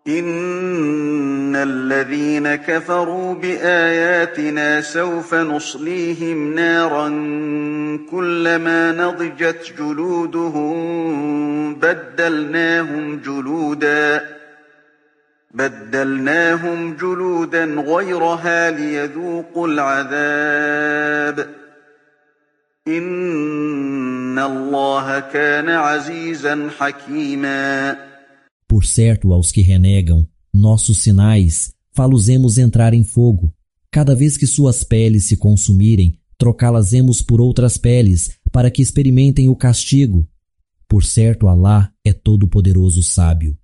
إن الذين كفروا بآياتنا سوف نصليهم نارا كلما نضجت جلودهم بدلناهم جلودا غيرها ليذوقوا العذاب إن الله كان عزيزا حكيما. Por certo, aos que renegam nossos sinais, fá-los-emos entrar em fogo. Cada vez que suas peles se consumirem, trocá-las-emos por outras peles, para que experimentem o castigo. Por certo, Alá é todo-poderoso sábio.